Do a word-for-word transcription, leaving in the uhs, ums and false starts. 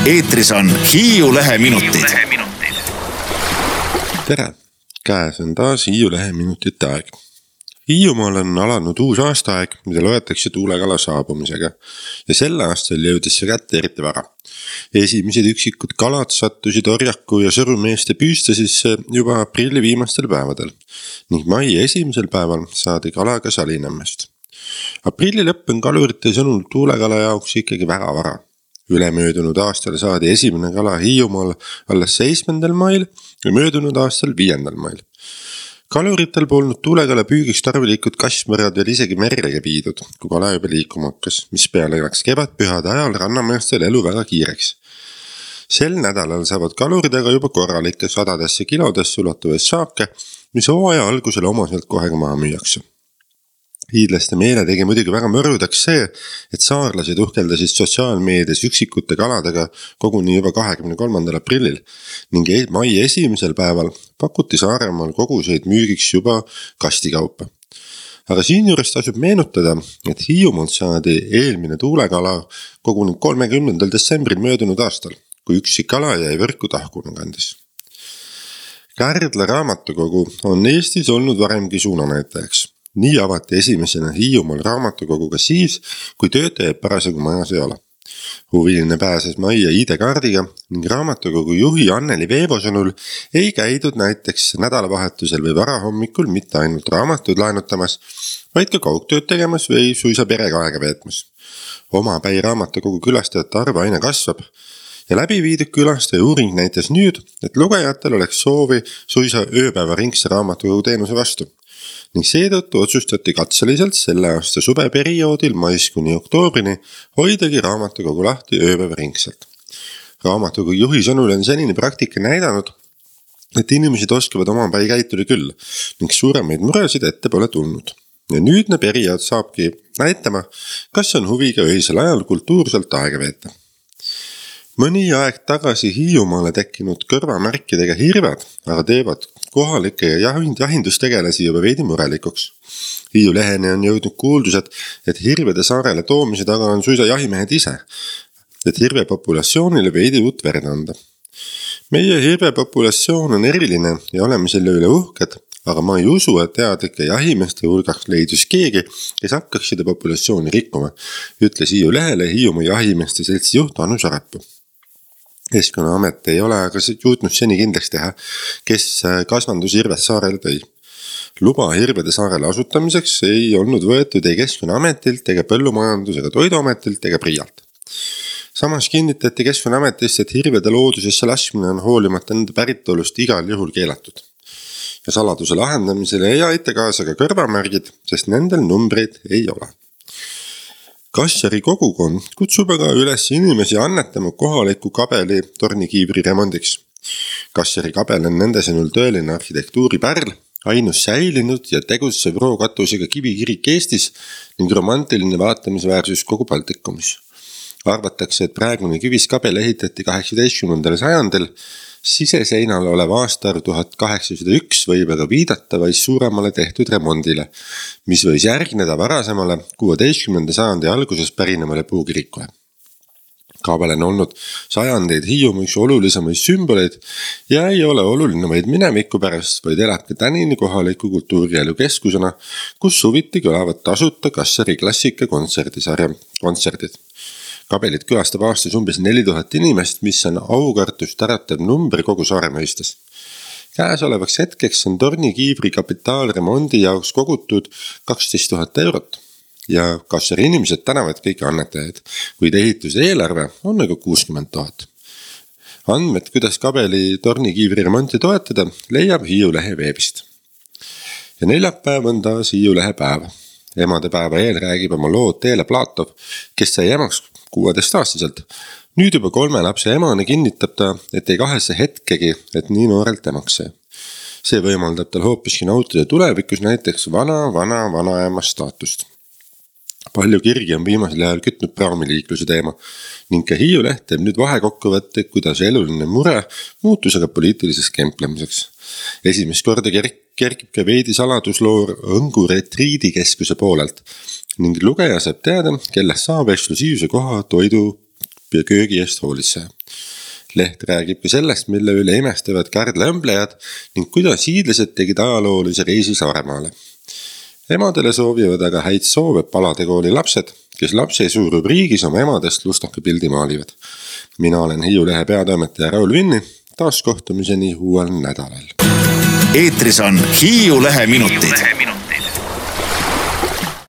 eetris on Hiiu Lehe minutid. Tere! Käes on taas Hiiu Lehe minutite aeg. Hiiumaal on alanud uus aastaaeg, mida loetakse tuulekala saabumisega ja sel aastal jõudis see kätte eriti vara. Esimesed üksikud kalad sattusid Orjaku ja Sõrumeeste püüstasisse juba aprilli viimastel päevadel ning mai esimesel päeval saadi kala ka Salinämmest. Aprilli lõpp on kalurite sõnul tuulekala jaoks ikkagi väga vara. Ülemöödunud aastal saadi esimene kala Hiiumaal alles seitsmendal mail ja möödunud aastal viiendal mail. Kaluritel polnud tuulekala püügiks tarvilikud kasvmõrad veel isegi merrega viidud, kui kala juba liikuma hakkas, mis peale läks kevadpühade ajal rannameestel elu väga kiireks. Sel nädalal saavad kalurid aga juba korralikke sadadesse kilodesse ulatuvaid saake, mis hooaja algusel omaselt kohe maha müüakse. Hiidlaste meele tegi muidugi väga mõrudaks see, et saarlased uhkeldasid sotsiaalmeedias üksikute kaladega koguni juba kahekümne kolmandal aprillil ning mai esimesel päeval pakuti Saaremaal koguseid müügiks juba kastikaupa. Aga siinjuures tasub meenutada, et Hiiumaalt saadi eelmine tuulekala koguni kolmekümnendal detsembril möödunud aastal, kui üksik kala jäi võrku tahkuna kandis. Kärdla raamatukogu on Eestis olnud varemgi suunanäitajaks. Nii avati esimesena Hiiumaal raamatukoguga siis, kui töötajaid parasjagu majas ei ole. Huviline pääses majja I D-kaardiga ning raamatukogu juhi Anneli Veevo sõnul ei käidud näiteks nädalavahetusel või varahommikul mitte ainult raamatuid laenutamas, vaid ka kaugtööd tegemas või suisa perega aega veetmas. Omapäi raamatukogu külastajate arv aina kasvab ja läbi viidud külastaja uuring näitas nüüd, et lugejatel oleks soovi suisa ööpäeva ringse raamatukogu teenuse vastu. Ning seetõttu otsustati katseliselt selle aasta suveperioodil mais kuni oktoobrini hoidagi raamatukogu lahti ööpäeva ringselt. Raamatukogu juhi sõnul on senine praktika näidanud, et inimesed oskavad omapäi käituda küll ning suuremaid muresid ette pole tulnud. Ja nüüdne periood saabki näitama, kas on huviga öisel ajal kultuurselt aega veeta. Mõni aeg tagasi Hiiumaale tekkinud kõrvamärkidega hirved, aga teevad kohalike ja jahindustegelasi juba veidi murelikuks. Hiiu Leheni on jõudnud kuuldused, et hirvede saarele toomise taga on suisa jahimehed ise, et hirvepopulatsioonile veidi uut verd anda. Meie hirvepopulatsioon on eriline ja oleme selle üle uhked, aga ma ei usu, et teadlike jahimeeste hulgaks leidus keegi, kes hakkaks seda populatsiooni rikkuma, ütles Hiiu Lehele Hiiumaa jahimeeste seltsi juht Anu Sarapuu. Keskkonnaamet ei ole aga juutnud seni kindlaks teha, kes kasvandus hirved saarele tõi. Luba hirvede saarele asutamiseks ei olnud võetud ei Keskkonnaametilt ega Põllumajandus- ega Toiduametilt ega Priialt. Samas kinnitati Keskkonnaametist, et hirvede loodusesse laskmine on hoolimata nende päritolust igal juhul keelatud. Ja saladuse lahendamisele ei aita kaasa ka kõrvamärgid, sest nendel numbreid ei ole. Kassari kogukond kutsub aga üles inimesi annetama kohaliku kabeli tornikiivri remondiks. Kassari kabel on nende sõnul tõeline arhitektuuripärl, ainus säilinud ja tegutsev rookatusega kivikirik Eestis ning romantiline vaatamisväärsus kogu Baltikumis. Arvatakse, et praegune kiviskabel ehitati kaheksateistkümnendal sajandil, siseseinal olev aastaarv tuhat kaheksasada üks võib aga viidata vaid suuremale tehtud remondile, mis võis järgneda varasemale kuueteistkümnenda sajandi alguses pärinevale puukirikule. Kabel on olnud sajandeid Hiiumaa üks olulisemaid sümboleid ja ei ole oluline vaid mineviku pärast, vaid elab ka tänini kohaliku kultuurielu keskusena, kus suviti kõlavad tasuta Kassari klassika kontserdisarja kontserdid. Kabelit külastab aastas umbes neli tuhat inimest, mis on aukartust äratav number kogu saare mõistes. Käesolevaks hetkeks on tornikiivri kapitaalremondi jaoks kogutud kaksteist tuhat eurot ja Kassari inimesed tänavad kõiki annetajaid, kuid ehituse eelarve on aga kuuskümmend tuhat. Andmed, kuidas kabeli tornikiivri remonti toetada, leiab Hiiu Lehe veebist. Ja neljapäev on taas Hiiu Lehe päev. Emadepäeva eel räägib oma lood Teele Platov, kes sai emaks kuueteistaastaselt. Nüüd juba kolme lapse emane kinnitab ta, et ei kahese hetkegi, et nii noorelt emaks see. See võimaldab tal hoopiski nautida tulevikus näiteks vana-vana-vanaema staatust. Palju kirgi on viimasel ajal kütnud praamiliikluse teema ning ka Hiiu Leht teeb nüüd vahekokkuvõtte, kuidas eluline mure muutus aga poliitiliseks kemplemiseks. Esimest korda kerkib ka veidi saladusloor Õngu retriidikeskuse poolelt ning lugeja saab teada, kellest saab eksklusiivse koha toidu ja köögi eest hoolitseja. Leht räägib ka sellest, mille üle imestavad Kärdla õmblejad ning kuidas hiidlased tegid ajaloolise reisi Saaremaale. Emadele soovivad aga häid soove Palade kooli lapsed, kes lapsesuu rubriigis oma emadest lustaka pildi maalivad. Mina olen Hiiu Lehe peatoimetaja Raul Vinni, taas kohtumiseni uuel nädalal. Eetris on Hiiu Lehe minutid.